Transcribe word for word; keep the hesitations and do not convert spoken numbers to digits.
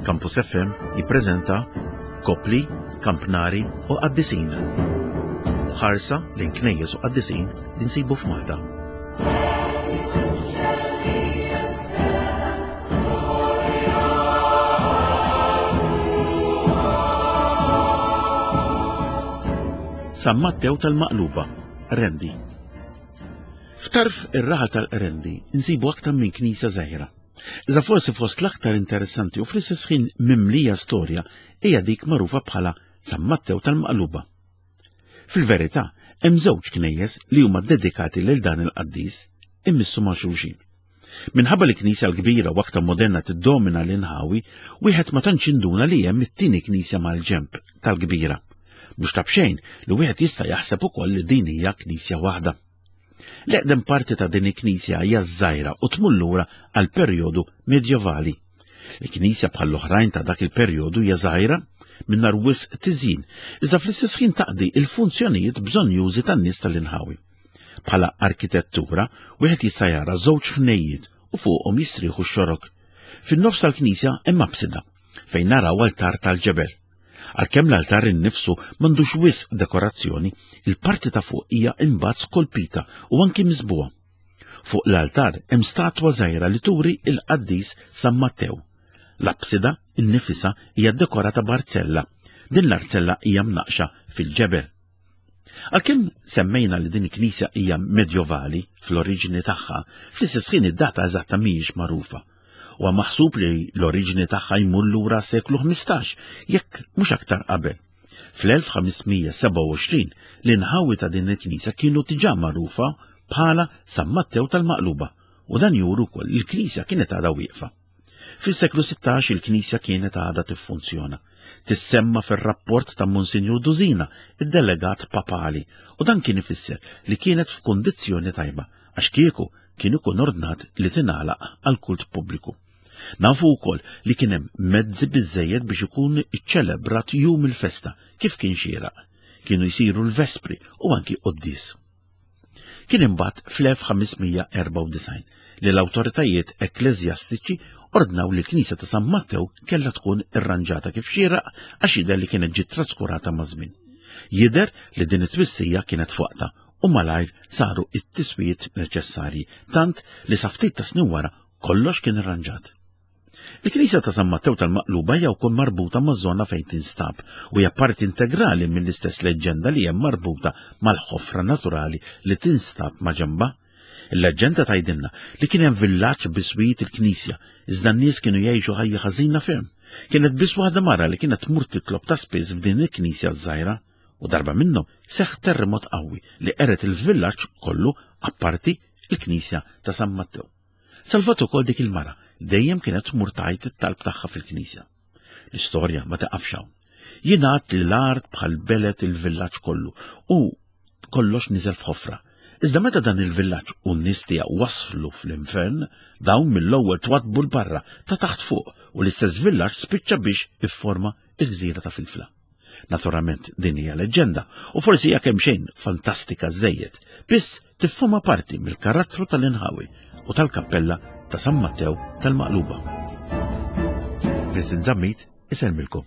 Campus F M jippreżenta Kopli, Kampnari u Qaddisin. Ħarsa lejn knejjes u qaddisin li nsibu f'Malta. San Mattew tal-Maqluba, Qrendi. F'tarf ir-raħal tal-Qrendi nsibu aktar minn knisja żgħira. Iżda forsi fost l-aktar interessanti u fl-istess ħin mimlija storja hija dik magħrufa bħala San Mattew tal-Maqluba. Fil-verità, hemm żewġ knejjes li huma dedikati lil dan il-qaddis immissu ma' xulxin. Minħabba li knisja l-kbira u aktar moderna tiddomina l-inħawi, wieħed ma tantx induna li hemm it-tieni knisja mal-ġenb tal-kbira. Mhux ta' b'xejn li wieħed jista' jaħseb ukoll li din hija knisja waħda. L-eqdem parti ta' din il-knisja hija żgħira u tmur lura għal perjodu medjevali. Il-knisja bħall-oħrajn ta' dak il-perjodu hija żgħira mingħajr wisq tiżjin, iżda fl-istess ħin taqdi il-funzjonijiet bżonnjużi tan-nies tal-inħawi. Bħala arkitettura, wieħed jista' jara żewġ ħnejjiet u fuqhom jistrieħu x-xorok. Fin-nofs tal-knisja hemm absida fejn naraw altar tal-ġebel. Għalkemm l-altar innifsu m'għandux wisq dekorazzjoni, il-parti ta' fuq hija imbagħad skolpita u anki miżbugħa. Fuq l-altar hemm statwa żgħira li turi il-qaddis San Mattew. L-absida innifisha hija dekorata b'arzella. Din l-arzella hija mnaqxa fil-ġebel. Għalkemm semmejna li din il-knisja hija medjovali fl-oriġini tagħha, fl-istess ħin id-data eżatta mhijiex magħrufa. Huwa maħsub li l-oriġini tagħha jmur lura seklu ħmistax, jekk mhux aktar qabel. Fl-elf ħamesmija sebgħa u għoxrin l-inħawi ta' din il-knisja kienu diġà magħrufa bħala San Mattew tal-Maqluba, u dan juru wkoll li l-knisja kienet għadha wieqfa. Fis-seklu sittax il-knisja kienet għadha tiffunzjona. Tissemma fir-rapport ta' Monsinjur Dusina, id-delegat papali, u dan kien ifisser li kienet f'kundizzjoni tajba, għax kieku kien ikun ordnat li tingħalaq għal kult pubbliku. Nafu wkoll li kien hemm mezzi biżżejjed biex ikun iċċelebrat jum il-festa kif kien xieraq. Kienu jsiru l-vespri u anki quddies. Kien imbagħad fl-elf ħamesmija erbgħa u disgħin li l-awtoritajiet ekkleżjastiċi ordnaw li l-Knisja ta' San Mattew kellha tkun irranġata kif xieraq għax jidher li kienet ġiet traskurata maż-żmien. Jidher li din it-twissija kienet f'waqtha u malajr saru it-tiswijiet neċessarji, tant li sa ftit ta' snin wara kollox kien irranġat. Il-Knisja ta' San Mattew tal-Maqluba hija wkoll marbuta maż-żona fejn tinstab u hija parti integrali mill-istess leġġenda li hemm marbuta mal-ħofra naturali li tinstab ma' ġenbha. Il-leġġenda tgħidilna li kien hemm villaġġ biswit il-knisja, iżda n-nies kienu jgħixu ħajja ħażina ferm. Kienet biss waħda mara li kienet tmur titlob ta' spiss f'din il-knisja żgħira, u darba minnhom seħħ terremot qawwi li qeret il-villaġġ kollu apparti il-knisja ta' San Mattew. Salvat ukoll dik il-mara dejjem kienet tmur tgħid it-talb tagħha fil-knisja. L-istorja ma taqafx hawn. Jingħad li l-art bħal belet il-villaġġ kollu u kollox niżel f'ħofra. Iżda meta dan il-villaġġ u n-nies tiegħu waslu fl-infern, dawn mill-ewwel twadbu l-barra ta' taħt fuq u l-istess villaġġ spiċċa biex ifforma il-gżira ta' Filfla. Naturalment din hija leġġenda u forsi hija kemm xejn fantastika żejjed, biss tiffurma parti mill-karattru tal-inħawi u tal-kappella ta' San Mattew tal-Maqluba. Vincent Zammit isellmilkom.